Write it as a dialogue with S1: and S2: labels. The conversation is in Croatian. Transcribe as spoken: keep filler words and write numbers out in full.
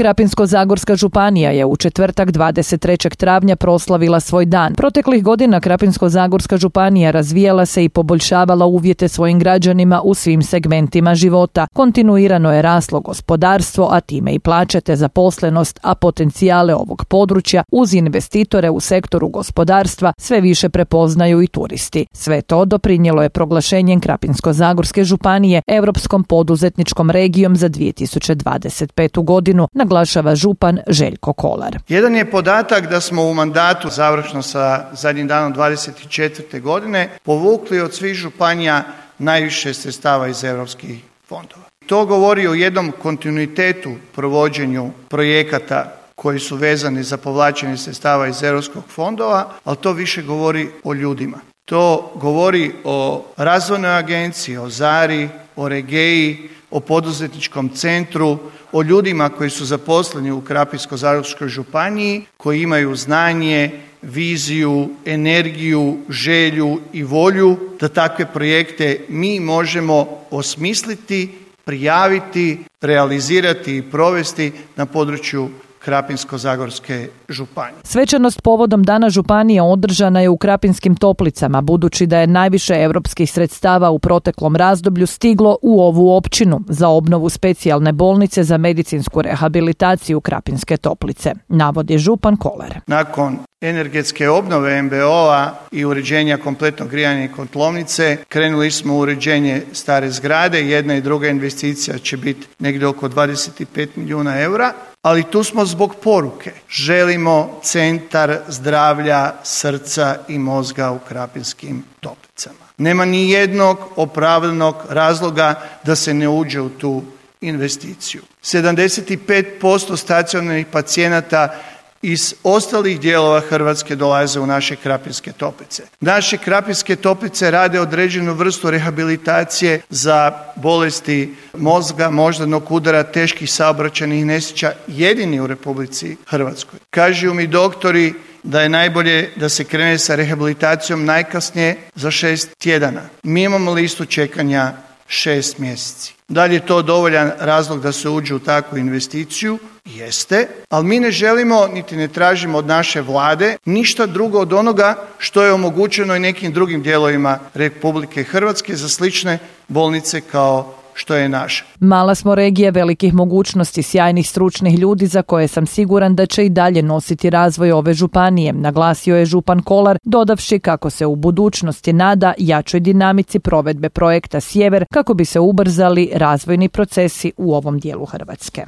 S1: Krapinsko-zagorska županija je u četvrtak dvadeset trećeg travnja proslavila svoj dan. Proteklih godina Krapinsko-zagorska županija razvijala se i poboljšavala uvjete svojim građanima u svim segmentima života. Kontinuirano je raslo gospodarstvo, a time i plaće te zaposlenost, a potencijale ovog područja uz investitore u sektoru gospodarstva sve više prepoznaju i turisti. Sve to doprinijelo je proglašenjem Krapinsko-zagorske županije Europskom poduzetničkom regijom za dvije tisuće dvadeset petu godinu, naglašava župan Željko Kolar.
S2: Jedan je podatak da smo u mandatu, završno sa zadnjim danom dvadeset četvrte godine, povukli od svih županija najviše sredstava iz europskih fondova. To govori o jednom kontinuitetu provođenju projekata koji su vezani za povlačenje sredstava iz europskih fondova, ali to više govori o ljudima. To govori o razvojnoj agenciji, o Zari, o Regeji, o poduzetničkom centru, o ljudima koji su zaposleni u Krapinsko-zagorskoj županiji, koji imaju znanje, viziju, energiju, želju i volju da takve projekte mi možemo osmisliti, prijaviti, realizirati i provesti na području Krapinsko-zagorske županije.
S1: Svečanost povodom Dana županije održana je u Krapinskim Toplicama, budući da je najviše europskih sredstava u proteklom razdoblju stiglo u ovu općinu za obnovu specijalne bolnice za medicinsku rehabilitaciju Krapinske Toplice, navodi župan Kolar.
S2: Nakon energetske obnove em be o-a i uređenja kompletnog grijanja i kotlovnice, krenuli smo u uređenje stare zgrade. Jedna i druga investicija će biti negdje oko dvadeset pet milijuna eura, ali tu smo zbog poruke. Želimo centar zdravlja, srca i mozga u Krapinskim Toplicama. Nema ni jednog opravdanog razloga da se ne uđe u tu investiciju. sedamdeset pet posto stacionarnih pacijenata iz ostalih dijelova Hrvatske dolaze u naše Krapinske Toplice. Naše Krapinske Toplice rade određenu vrstu rehabilitacije za bolesti mozga, moždanog udara, teških saobraćajnih nesreća, jedini u Republici Hrvatskoj. Kažu mi doktori da je najbolje da se krene sa rehabilitacijom najkasnije za šest tjedana. Mi imamo listu čekanja šest mjeseci. Da li je to dovoljan razlog da se uđe u takvu investiciju? Jeste, ali mi ne želimo niti ne tražimo od naše vlade ništa drugo od onoga što je omogućeno i nekim drugim dijelovima Republike Hrvatske za slične bolnice kao što je naša.
S1: Mala smo regija velikih mogućnosti, sjajnih stručnih ljudi za koje sam siguran da će i dalje nositi razvoj ove županije, naglasio je župan Kolar, dodavši kako se u budućnosti nada jačoj dinamici provedbe projekta Sjever kako bi se ubrzali razvojni procesi u ovom dijelu Hrvatske.